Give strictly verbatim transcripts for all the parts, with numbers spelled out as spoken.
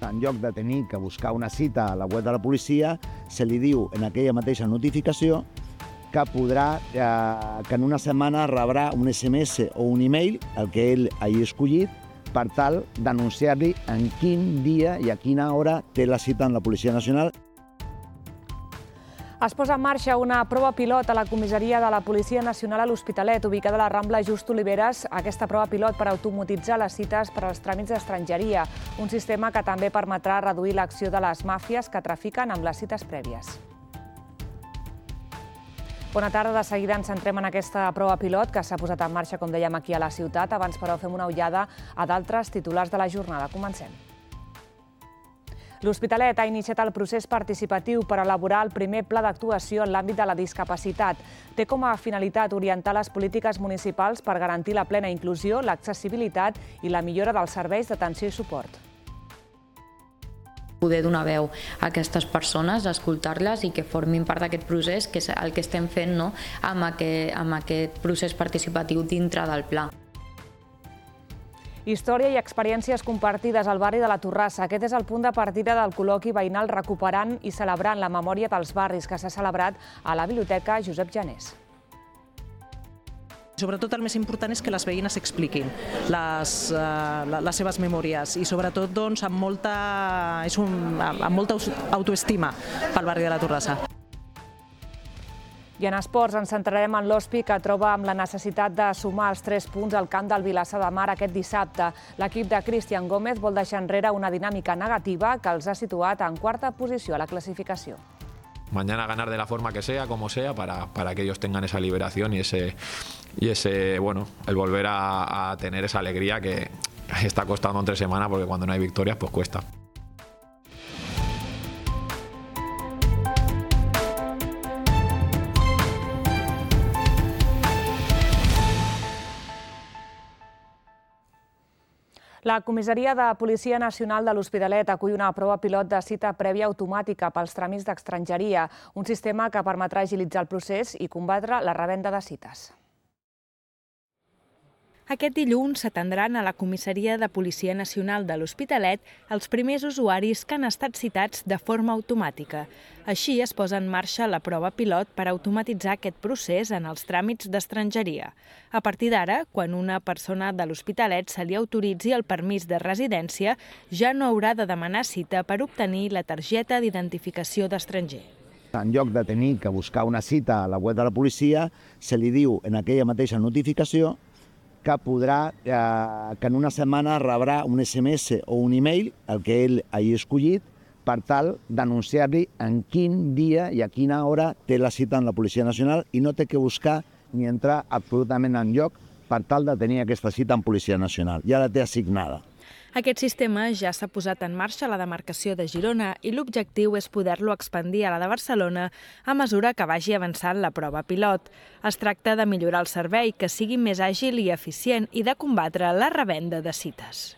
En lloc de tenir que buscar una cita a la web de la policia, se li diu en aquella mateixa notificació que podrà, eh, que en una setmana rebrà un S M S o un e-mail, el que ell hagi escollit, per tal d'anunciar-li en quin dia i a quina hora té la cita amb la Policia Nacional. Es posa en marxa una prova pilot a la comissaria de la Policia Nacional a l'Hospitalet, ubicada a la Rambla Just Oliveres. Aquesta prova pilot per automatitzar les cites per als tràmits d'estrangeria, un sistema que també permetrà reduir l'acció de les màfies que trafiquen amb les cites prèvies. Bona tarda, de seguida ens centrem en aquesta prova pilot que s'ha posat en marxa, com dèiem, aquí a la ciutat. Abans, però, fem una ullada a d'altres titulars de la jornada. Comencem. L'Hospitalet ha iniciat el procés participatiu per elaborar el primer pla d'actuació en l'àmbit de la discapacitat. Té com a finalitat orientar les polítiques municipals per garantir la plena inclusió, l'accessibilitat i la millora dels serveis d'atenció i suport. Poder donar veu a aquestes persones, escoltar-les i que formin part d'aquest procés, que és el que estem fent, no? amb, aquest, amb aquest procés participatiu dintre del pla. Història i experiències compartides al barri de la Torrassa. Aquest és el punt de partida del col·loqui veïnal Recuperant i celebrant la memòria dels barris, que s'ha celebrat a la Biblioteca Josep Janés. Sobretot el més important és que les veïnes expliquin les, uh, les seves memòries i sobretot doncs, amb, molta, és un, amb molta autoestima pel barri de la Torrassa. I en esports ens centrarem en l'Hospi, que troba amb la necessitat de sumar els tres punts al camp del Vilassar de Mar aquest dissabte. L'equip de Cristian Gómez vol deixar enrere una dinàmica negativa que els ha situat en quarta posició a la clasificació. Mañana ganar de la forma que sea, como sea, para, para que ellos tengan esa liberación y ese, y ese bueno, el volver a, a tener esa alegría que está costando entre semanas, porque cuando no hay victorias, pues cuesta. La Comissaria de Policia Nacional de l'Hospitalet acull una prova pilot de cita prèvia automàtica pels tràmits d'estrangeria, un sistema que permetrà agilitzar el procés i combatre la revenda de cites. Aquest dilluns s'atendran a la Comissaria de Policia Nacional de l'Hospitalet els primers usuaris que han estat citats de forma automàtica. Així es posa en marxa la prova pilot per automatitzar aquest procés en els tràmits d'estrangeria. A partir d'ara, quan una persona de l'Hospitalet se li autoritzi el permís de residència, ja no haurà de demanar cita per obtenir la targeta d'identificació d'estranger. En lloc de tenir que buscar una cita a la web de la policia, se li diu en aquella mateixa notificació que podrà, eh, que en una setmana rebrà un S M S o un e-mail, el que ell hagi escollit, per tal d'anunciar-li en quin dia i a quina hora té la cita amb la Policia Nacional i no té que buscar ni entrar absolutament enlloc per tal de tenir aquesta cita amb Policia Nacional. Ja la té assignada. Aquest sistema ja s'ha posat en marxa a la demarcació de Girona i l'objectiu és poder-lo expandir a la de Barcelona a mesura que vagi avançant la prova pilot. Es tracta de millorar el servei, que sigui més àgil i eficient i de combatre la revenda de cites.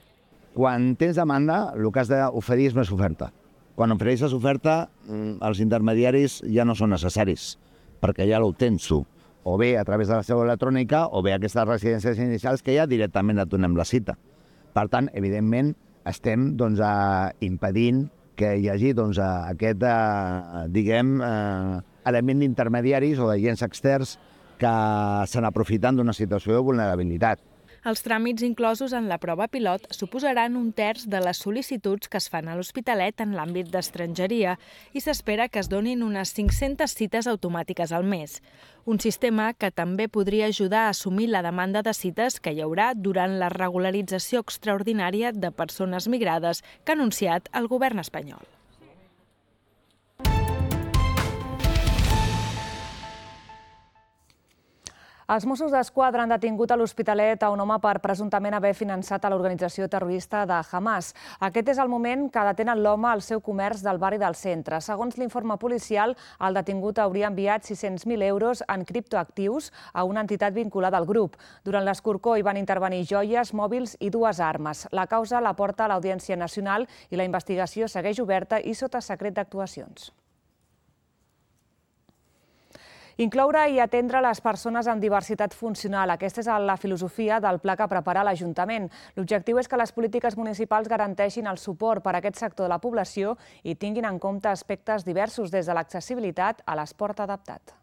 Quan tens demanda, el que has d'oferir és més oferta. Quan ofereixes oferta, els intermediaris ja no són necessaris, perquè ja l'obtens tu, o bé a través de la seu electrònica o bé aquestes residències inicials que ja directament et donem la cita. Per tant, evidentment, estem doncs, eh, impedint que hi hagi doncs, aquest eh, diguem, eh, element d'intermediaris o d'agents externs que se n'aprofiten d'una situació de vulnerabilitat. Els tràmits inclosos en la prova pilot suposaran un terç de les sol·licituds que es fan a l'Hospitalet en l'àmbit d'estrangeria i s'espera que es donin unes cinc-centes cites automàtiques al mes. Un sistema que també podria ajudar a assumir la demanda de cites que hi haurà durant la regularització extraordinària de persones migrades que ha anunciat el govern espanyol. Els Mossos d'Esquadra han detingut a l'Hospitalet a un home per presumptament haver finançat a l'organització terrorista de Hamas. Aquest és el moment que detenen l'home al seu comerç del barri del centre. Segons l'informe policial, el detingut hauria enviat sis-cents mil euros en criptoactius a una entitat vinculada al grup. Durant l'escorcó hi van intervenir joies, mòbils i dues armes. La causa la porta a l'Audiència Nacional i la investigació segueix oberta i sota secret d'actuacions. Incloure i atendre les persones amb diversitat funcional. Aquesta és la filosofia del pla que prepara l'Ajuntament. L'objectiu és que les polítiques municipals garanteixin el suport per a aquest sector de la població i tinguin en compte aspectes diversos des de l'accessibilitat a l'esport adaptat.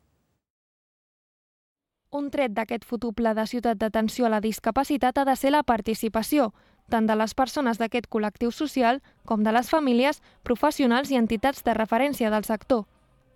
Un tret d'aquest futur pla de ciutat d'atenció a la discapacitat ha de ser la participació, tant de les persones d'aquest col·lectiu social com de les famílies, professionals i entitats de referència del sector.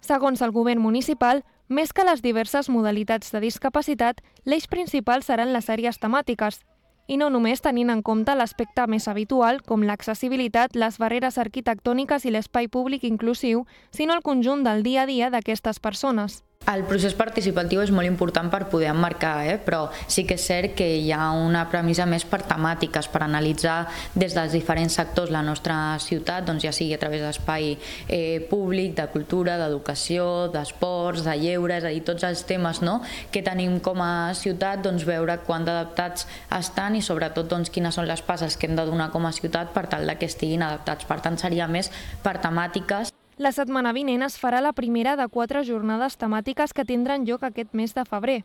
Segons el govern municipal, més que les diverses modalitats de discapacitat, l'eix principal seran les àrees temàtiques, i no només tenint en compte l'aspecte més habitual, com l'accessibilitat, les barreres arquitectòniques i l'espai públic inclusiu, sinó el conjunt del dia a dia d'aquestes persones. El procés participatiu és molt important per poder emmarcar, eh? però sí que és cert que hi ha una premissa més per temàtiques, per analitzar des dels diferents sectors la nostra ciutat, doncs ja sigui a través d'espai eh, públic, de cultura, d'educació, d'esports, de lleure, és a dir, tots els temes no? que tenim com a ciutat, doncs veure quant d'adaptats estan i sobretot doncs, quines són les passes que hem de donar com a ciutat per tal que estiguin adaptats. Per tant, seria més per temàtiques. La setmana vinent es farà la primera de quatre jornades temàtiques que tindran lloc aquest mes de febrer.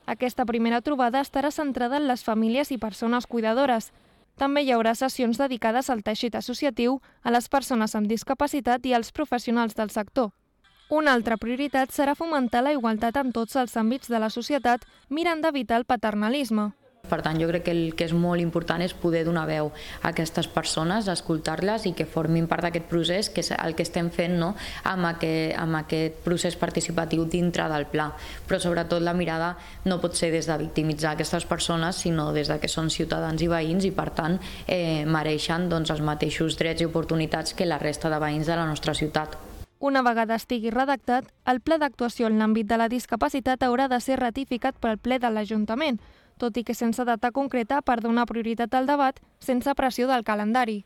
Aquesta primera trobada estarà centrada en les famílies i persones cuidadores. També hi haurà sessions dedicades al teixit associatiu, a les persones amb discapacitat i als professionals del sector. Una altra prioritat serà fomentar la igualtat en tots els àmbits de la societat, mirant d'evitar el paternalisme. Per tant, jo crec que el que és molt important és poder donar veu a aquestes persones, escoltar-les i que formin part d'aquest procés, que és el que estem fent no? amb, aquest, amb aquest procés participatiu dintre del pla. Però sobretot la mirada no pot ser des de victimitzar aquestes persones, sinó des de que són ciutadans i veïns i per tant eh, mereixen doncs, els mateixos drets i oportunitats que la resta de veïns de la nostra ciutat. Una vegada estigui redactat, el pla d'actuació en l'àmbit de la discapacitat haurà de ser ratificat pel ple de l'Ajuntament, tot i que sense data concreta per donar prioritat al debat sense pressió del calendari.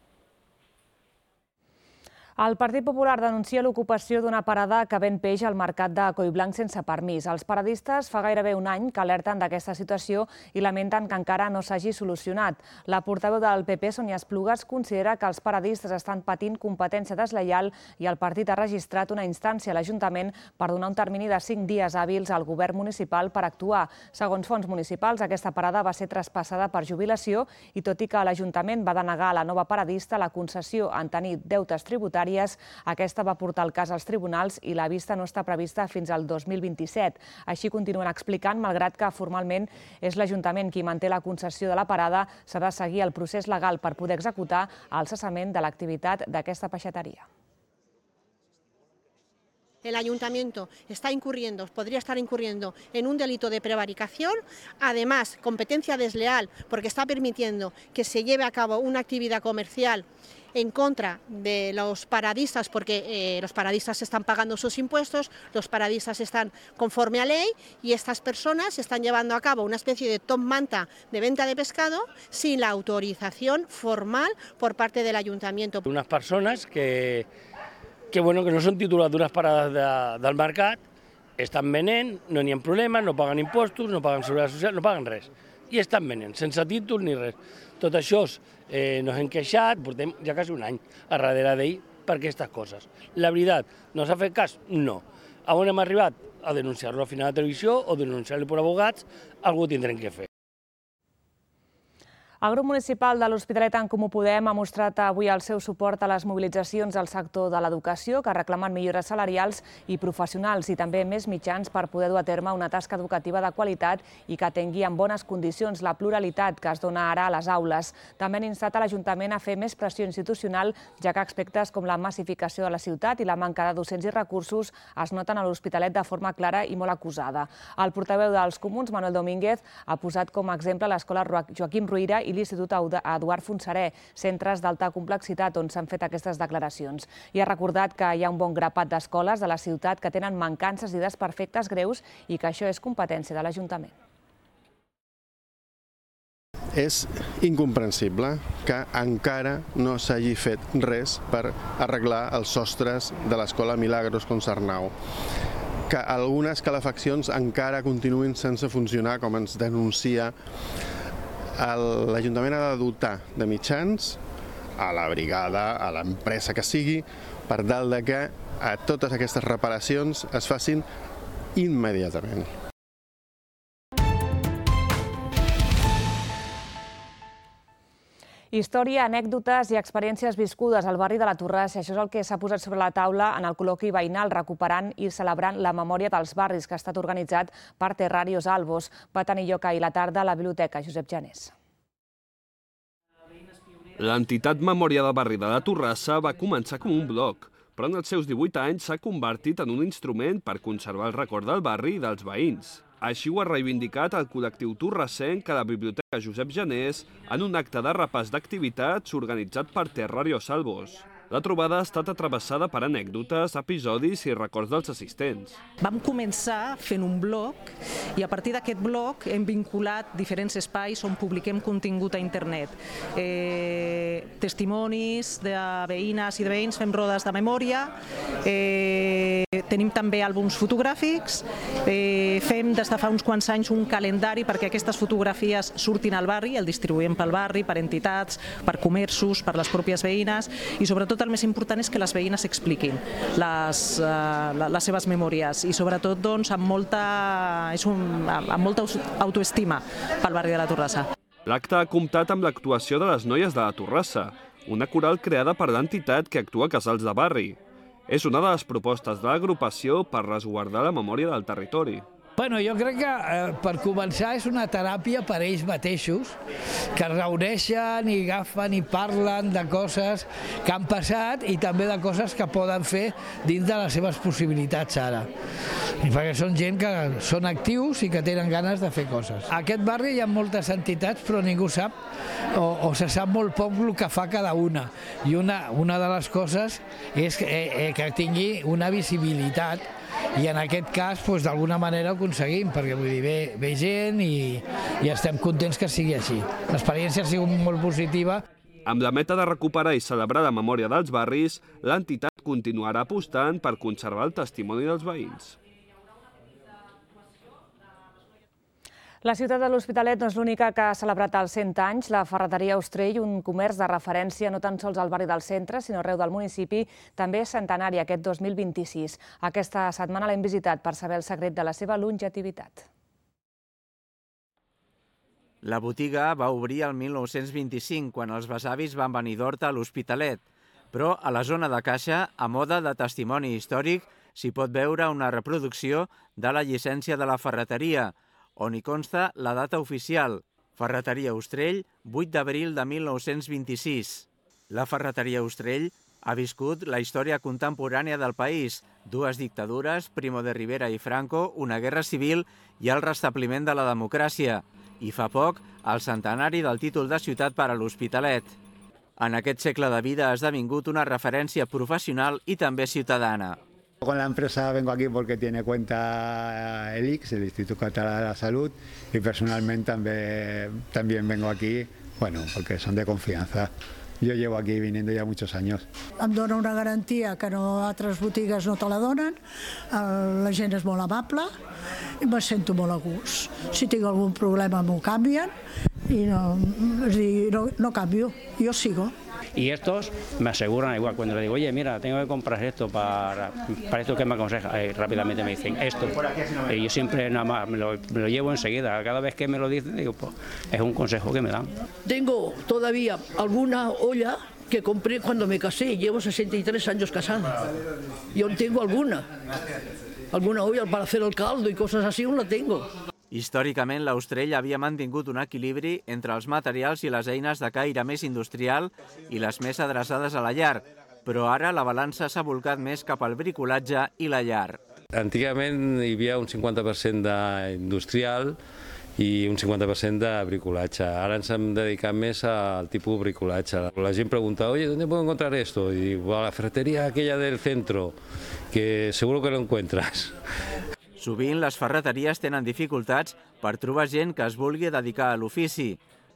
El Partit Popular denuncia l'ocupació d'una parada que ven peix al mercat de Collblanc sense permís. Els paradistes fa gairebé un any que alerten d'aquesta situació i lamenten que encara no s'hagi solucionat. La portaveu del P P, Sònia Esplugues, considera que els paradistes estan patint competència deslleial i el partit ha registrat una instància a l'Ajuntament per donar un termini de cinc dies hàbils al govern municipal per actuar. Segons fons municipals, aquesta parada va ser traspassada per jubilació i tot i que l'Ajuntament va denegar a la nova paradista la concessió en tenir deutes tributaris, aquesta va portar el cas als tribunals i la vista no està prevista fins al dos mil vint-i-set. Així continuen explicant, malgrat que formalment és l'Ajuntament qui manté la concessió de la parada, s'ha de seguir el procés legal per poder executar el cessament de l'activitat d'aquesta peixateria. El ayuntamiento está incurriendo, podría estar incurriendo en un delito de prevaricación, además competencia desleal porque está permitiendo que se lleve a cabo una actividad comercial en contra de los paradistas porque eh, los paradistas están pagando sus impuestos, los paradistas están conforme a ley y estas personas están llevando a cabo una especie de top manta de venta de pescado sin la autorización formal por parte del ayuntamiento. Unas personas que que, bueno, que no són titulars d'unes parades de, del mercat, estan venent, no n'hi ha problemes, no paguen impostos, no paguen seguretat social, no paguen res. I estan venent, sense títol ni res. Tot això eh, nos hem queixat, portem ja quasi un any a darrere d'ell per aquestes coses. La veritat, no s'ha fet cas? No. A on hem arribat? A denunciar-lo al final de televisió o denunciar-lo per abogats, algú tindrem que fer. El grup municipal de l'Hospitalet en Comú Podem ha mostrat avui el seu suport a les mobilitzacions del sector de l'educació que reclamen millores salarials i professionals i també més mitjans per poder dur a terme una tasca educativa de qualitat i que tingui en bones condicions la pluralitat que es dona ara a les aules. També han instat a l'Ajuntament a fer més pressió institucional, ja que aspectes com la massificació de la ciutat i la manca de docents i recursos es noten a l'Hospitalet de forma clara i molt acusada. El portaveu dels Comuns, Manuel Domínguez, ha posat com a exemple l'escola Joaquim Ruyra i l'Institut Eduard Fontserè, centres d'alta complexitat on s'han fet aquestes declaracions. I ha recordat que hi ha un bon grapat d'escoles de la ciutat que tenen mancances i desperfectes greus i que això és competència de l'Ajuntament. És incomprensible que encara no s'hagi fet res per arreglar els sostres de l'escola Milagros Concernau, que algunes calefaccions encara continuïn sense funcionar, com ens denuncia. L'Ajuntament ha de dotar de mitjans a la brigada, a l'empresa que sigui, per tal que totes aquestes reparacions es facin immediatament. Història, anècdotes i experiències viscudes al barri de la Torrassa. Això és el que s'ha posat sobre la taula en el col·loqui veïnal recuperant i celebrant la memòria dels barris que ha estat organitzat per Terrarios Albos. Va tenir lloc ahir a la tarda a la Biblioteca Josep Janés. L'entitat Memòria del Barri de la Torrassa va començar com un blog, però en els seus divuit anys s'ha convertit en un instrument per conservar el record del barri i dels veïns. Així ho ha reivindicat el col·lectiu torrassenc a la Biblioteca Josep Janés en un acte de repàs d'activitats organitzat per Terrarios Albos. La trobada ha estat atravessada per anècdotes, episodis i records dels assistents. Vam començar fent un blog i a partir d'aquest blog hem vinculat diferents espais on publiquem contingut a internet. Eh, testimonis de veïnes i de veïns, fem rodes de memòria, eh, tenim també àlbums fotogràfics, eh, fem des de fa uns quants anys un calendari perquè aquestes fotografies surtin al barri, el distribuïm pel barri, per entitats, per comerços, per les pròpies veïnes i sobretot el més important és que les veïnes expliquin les, uh, les seves memòries i sobretot doncs, amb, molta, és un, amb molta autoestima pel barri de la Torrassa. L'acte ha comptat amb l'actuació de les Noies de la Torrassa, una coral creada per l'entitat que actua a casals de barri. És una de les propostes de l'agrupació per resguardar la memòria del territori. Bueno, jo crec que eh, per començar és una teràpia per ells mateixos, que es reuneixen i agafen i parlen de coses que han passat i també de coses que poden fer dins de les seves possibilitats ara. I perquè són gent que són actius i que tenen ganes de fer coses. A aquest barri hi ha moltes entitats però ningú sap o, o se sap molt poc el que fa cada una. I una, una de les coses és que, eh, que tingui una visibilitat. I en aquest cas, doncs, d'alguna manera ho aconseguim, perquè vull dir, ve, ve gent i, i estem contents que sigui així. L'experiència ha sigut molt positiva. Amb la meta de recuperar i celebrar la memòria dels barris, l'entitat continuarà apostant per conservar el testimoni dels veïns. La ciutat de l'Hospitalet no és l'única que ha celebrat els cent anys. La ferreteria Austrell, un comerç de referència no tan sols al barri del centre, sinó arreu del municipi, també és centenari aquest dos mil vint-i-sis. Aquesta setmana l'hem visitat per saber el secret de la seva longevitivitat. La botiga va obrir el mil nou-cents vint-i-cinc, quan els besavis van venir d'Horta a l'Hospitalet. Però a la zona de caixa, a moda de testimoni històric, s'hi pot veure una reproducció de la llicència de la ferreteria, on hi consta la data oficial, Ferreteria Austrell, vuit d'abril de mil nou-cents vint-i-sis. La Ferreteria Austrell ha viscut la història contemporània del país, dues dictadures, Primo de Rivera i Franco, una guerra civil i el restabliment de la democràcia, i fa poc el centenari del títol de ciutat per a l'Hospitalet. En aquest segle de vida ha esdevingut una referència professional i també ciutadana. Con la empresa vengo aquí porque tiene cuenta el I C S, el Instituto Catalán de la Salud, y personalmente también, también vengo aquí, bueno, porque son de confianza. Jo llevo aquí viniendo ja muchos años. Em dona una garantia que no, altres botigues no te la donen, la gent és molt amable i me sento molt a gust. Si tinc algun problema m'ho canvien i no, és dir, no, no canvio, jo sigo. Y estos me aseguran igual, cuando le digo, oye, mira, tengo que comprar esto para, para esto que me aconseja, eh, rápidamente me dicen esto. Y yo siempre nada más me lo, me lo llevo enseguida, cada vez que me lo dicen, digo, pues es un consejo que me dan. Tengo todavía alguna olla que compré cuando me casé, llevo sesenta y tres años casada. Yo tengo alguna, alguna olla para hacer el caldo y cosas así, aún la tengo. Històricament, l'Austrell havia mantingut un equilibri entre els materials i les eines de caire més industrial i les més adreçades a la llar, però ara la balança s'ha volcat més cap al bricolatge i la llar. Antigament hi havia un cinquanta per cent d'industrial i un cinquanta per cent de bricolatge. Ara ens hem dedicat més al tipus de bricolatge. La gent pregunta, oye, ¿dónde puedo encontrar esto? Y digo, a la ferretería aquella del centro, que seguro que lo encuentras. Sovint les ferreteries tenen dificultats per trobar gent que es vulgui dedicar a l'ofici,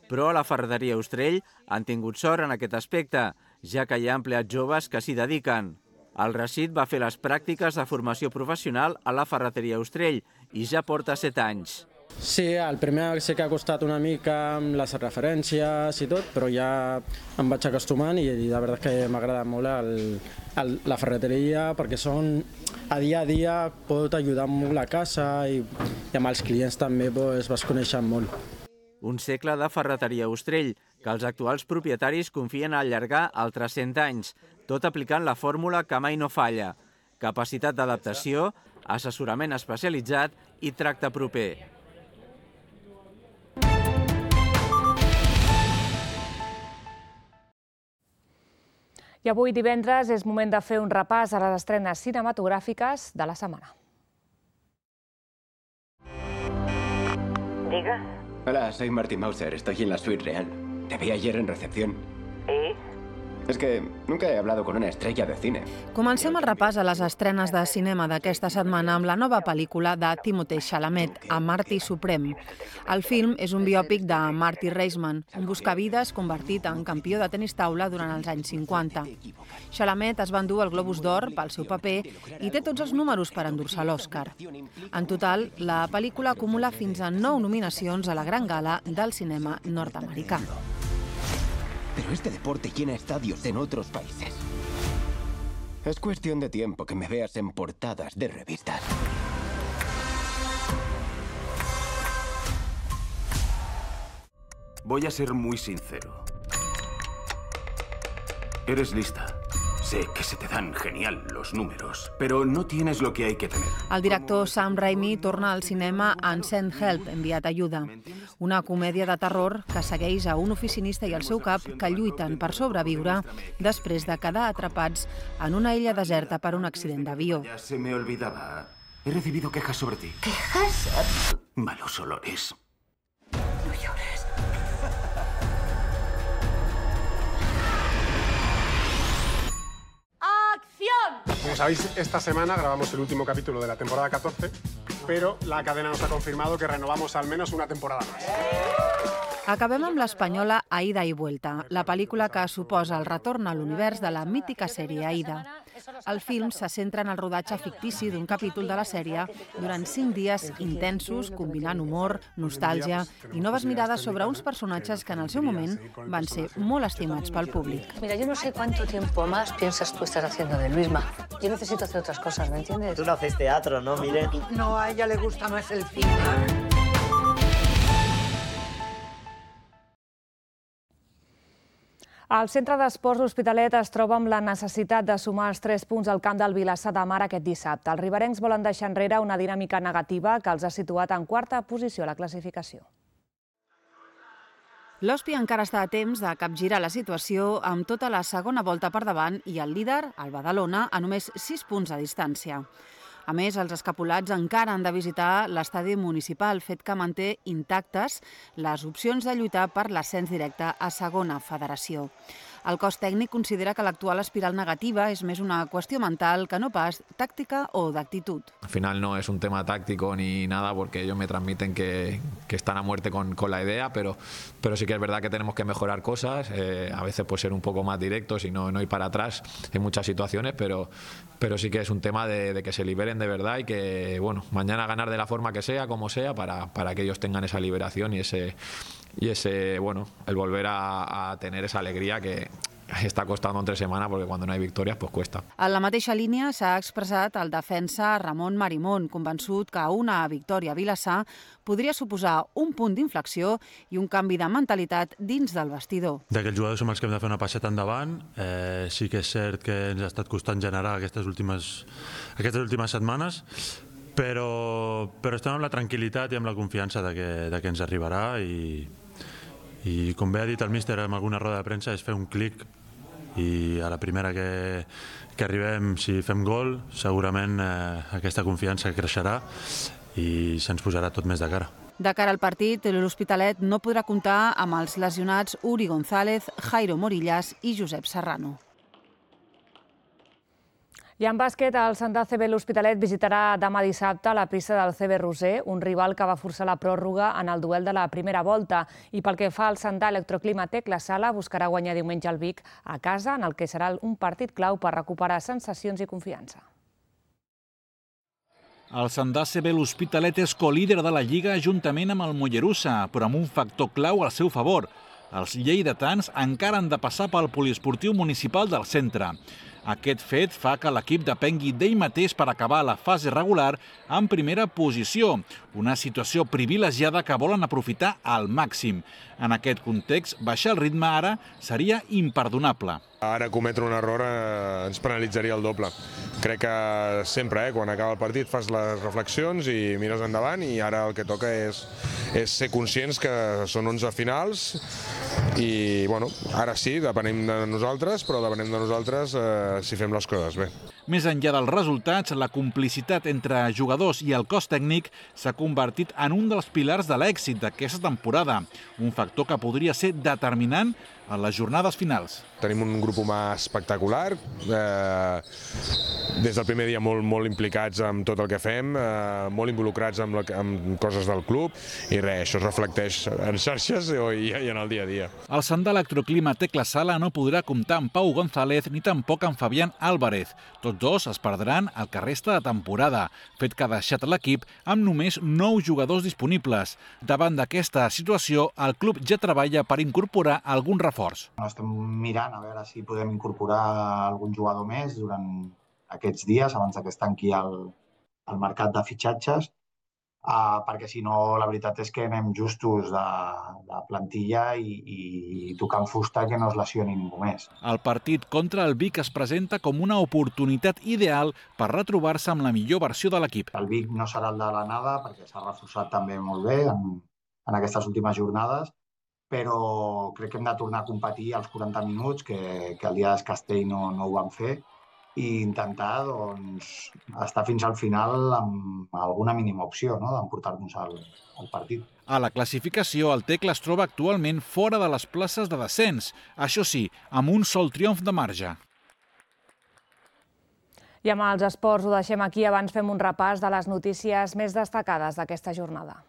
però a la ferreteria Austrell han tingut sort en aquest aspecte, ja que hi ha empleats joves que s'hi dediquen. El Rashid va fer les pràctiques de formació professional a la ferreteria Austrell i ja porta set anys. Sí, el primer sí que ha costat una mica amb les referències i tot, però ja em vaig acostumant i la veritat que m'agrada molt el, el, la ferreteria perquè són, a dia a dia pot ajudar molt la casa i, i amb els clients també pues, vas coneixent molt. Un segle de ferreteria Ostrell, que els actuals propietaris confien a allargar altres cent anys, tot aplicant la fórmula que mai no falla: capacitat d'adaptació, assessorament especialitzat i tracte proper. I avui divendres és moment de fer un repàs a les estrenes cinematogràfiques de la setmana. Diga. Hola, soy Marty Mauser, estoy en la suite real. Te vi ayer en recepción. ¿Y? Es que nunca he hablado con una estrella de cine. Comencem el repàs a les estrenes de cinema d'aquesta setmana amb la nova pel·lícula de Timothée Chalamet, A Marty Suprem. El film és un biòpic de Marty Reisman, un buscavides convertit en campió de tenis taula durant els anys cinquanta. Chalamet es va endur el Globus d'Or pel seu paper i té tots els números per endur-se l'Oscar. En total, la pel·lícula acumula fins a nou nominacions a la Gran Gala del cinema nord-americà. Pero este deporte llena estadios en otros países. Es cuestión de tiempo que me veas en portadas de revistas. Voy a ser muy sincero. Eres lista. Sé que se te dan genial los números, pero no tienes lo que hay que tener. El director Sam Raimi torna al cinema en Send Help, enviat ajuda, una comèdia de terror que segueix a un oficinista i el seu cap que lluiten per sobreviure després de quedar atrapats en una illa deserta per un accident d'avió. Ya se me olvidaba. He recibido quejas sobre ti. ¿Quejas? Malos olores. No llores. Como sabéis, esta semana grabamos el último capítulo de la temporada catorce, pero la cadena nos ha confirmado que renovamos al menos una temporada más. Acabem amb l'espanyola Aida i Vuelta, la pel·lícula que suposa el retorn a l'univers de la mítica sèrie Aida. El film se centra en el rodatge fictici d'un capítol de la sèrie durant cinc dies intensos, combinant humor, nostàlgia i noves mirades sobre uns personatges que en el seu moment van ser molt estimats pel públic. Mira, yo no sé cuánto tiempo más piensas tú estás haciendo de Luisma. Yo necesito hacer otras cosas, ¿me entiendes? Tú no haces teatro, ¿no, Miren? No, a ella le gusta más el cine. El centre d'esports L'Hospitalet es troba amb la necessitat de sumar els tres punts al camp del Vilassar de Mar aquest dissabte. Els riberencs volen deixar enrere una dinàmica negativa que els ha situat en quarta posició a la classificació. L'Hospi encara està a temps de capgirar la situació amb tota la segona volta per davant i el líder, el Badalona, a només sis punts de distància. A més, els escapulats encara han de visitar l'estadi municipal, fet que manté intactes les opcions de lluitar per l'ascens directe a segona federació. El cos tècnic considera que l'actual espiral negativa és més una qüestió mental que no pas tàctica o d'actitud. Al final no es un tema táctico ni nada porque ellos me transmiten que, que están a muerte con, con la idea, pero, pero sí que es verdad que tenemos que mejorar cosas, eh, a veces pues ser un poco más directos y no, no ir para atrás en muchas situaciones, pero, pero sí que es un tema de, de que se liberen de verdad y que bueno, mañana ganar de la forma que sea, como sea, para, para que ellos tengan esa liberación y ese, y ese bueno, el volver a, a tener esa alegría que està costant entre setmana perquè quan no hi ha victòries pues cuesta. En la mateixa línia s'ha expressat el defensa Ramon Marimón, convençut que una victòria a Vilassar podria suposar un punt d'inflexió i un canvi de mentalitat dins del vestidor. D'aquells jugadors som els que hem de fer una passeta endavant. Eh, sí que és cert que ens ha estat costant generar aquestes últimes, aquestes últimes setmanes, però, però estem amb la tranquil·litat i amb la confiança de que, de que ens arribarà i I com bé ha dit el míster en alguna roda de premsa, és fer un clic i a la primera que, que arribem, si fem gol, segurament eh, aquesta confiança creixerà i se'ns posarà tot més de cara. De cara al partit, l'Hospitalet no podrà comptar amb els lesionats Uri González, Jairo Morillas i Josep Serrano. I en bàsquet, el Santa C B l'Hospitalet visitarà demà dissabte la pista del C B Roser, un rival que va forçar la pròrroga en el duel de la primera volta. I pel que fa al Santa Electroclimatec, la Sala buscarà guanyar diumenge al Vic a casa, en el que serà un partit clau per recuperar sensacions i confiança. El Sandà C B l'Hospitalet és colíder de la Lliga juntament amb el Mollerussa, però amb un factor clau al seu favor. Els lleidatans encara han de passar pel poliesportiu municipal del centre. Aquest fet fa que l'equip depengui d'ell mateix per acabar la fase regular en primera posició, una situació privilegiada que volen aprofitar al màxim. En aquest context, baixar el ritme ara seria imperdonable. Ara cometre un error eh, ens penalitzaria el doble. Crec que sempre, eh, quan acaba el partit, fas les reflexions i mires endavant, i ara el que toca és, és ser conscients que són onze finals i, bueno, ara sí, depenem de nosaltres, però depenem de nosaltres eh, si fem les coses bé. Més enllà dels resultats, la complicitat entre jugadors i el cos tècnic s'ha convertit en un dels pilars de l'èxit d'aquesta temporada, un factor que podria ser determinant en les jornades finals. Tenim un grup humà espectacular, eh, des del primer dia molt, molt implicats amb tot el que fem, eh, molt involucrats amb, la, amb coses del club, i res, això es reflecteix en xarxes i, i en el dia a dia. El Sandà Electroclima Tecla Sala no podrà comptar amb Pau González ni tampoc amb Fabián Álvarez. Tots dos es perdran el que resta de temporada, fet que ha deixat l'equip amb només nou jugadors disponibles. Davant d'aquesta situació, el club ja treballa per incorporar algun reforç. Estem mirant a veure si podem incorporar algun jugador més durant aquests dies, abans que es tanqui el, el mercat de fitxatges, uh, perquè si no, la veritat és que anem justos de, de plantilla i, i tocant fusta que no es lesioni ningú més. El partit contra el Vic es presenta com una oportunitat ideal per retrobar-se amb la millor versió de l'equip. El Vic no serà el de la nada, perquè s'ha reforçat també molt bé en, en aquestes últimes jornades, però crec que hem de tornar a competir als quaranta minuts, que, que el dia del Castell no, no ho van fer, i intentar doncs, estar fins al final amb alguna mínima opció, no?, d'emportar-nos al, al partit. A la classificació, el Tecla es troba actualment fora de les places de descens, això sí, amb un sol triomf de marge. I amb els esports ho deixem aquí, abans fem un repàs de les notícies més destacades d'aquesta jornada.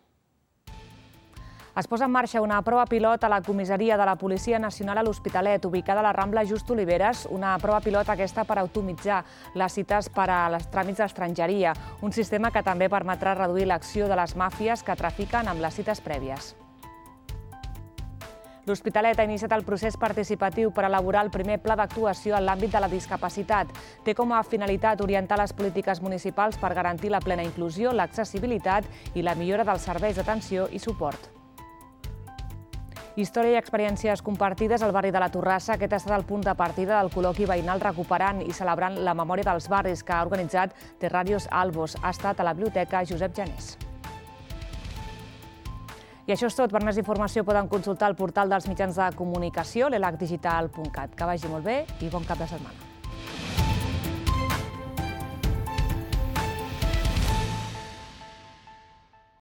Es posa en marxa una prova pilot a la comissaria de la Policia Nacional a l'Hospitalet, ubicada a la Rambla Just Oliveres, una prova pilot aquesta per optimitzar les cites per a les tràmits d'estrangeria, un sistema que també permetrà reduir l'acció de les màfies que trafiquen amb les cites prèvies. L'Hospitalet ha iniciat el procés participatiu per elaborar el primer pla d'actuació en l'àmbit de la discapacitat. Té com a finalitat orientar les polítiques municipals per garantir la plena inclusió, l'accessibilitat i la millora dels serveis d'atenció i suport. Història i experiències compartides al barri de la Torrassa. Aquest ha estat el punt de partida del col·loqui veïnal recuperant i celebrant la memòria dels barris que ha organitzat Terrarios Albos. Ha estat a la Biblioteca Josep Janés. I això és tot. Per més informació poden consultar el portal dels mitjans de comunicació, l'elac digital punt cat. Que vagi molt bé i bon cap de setmana.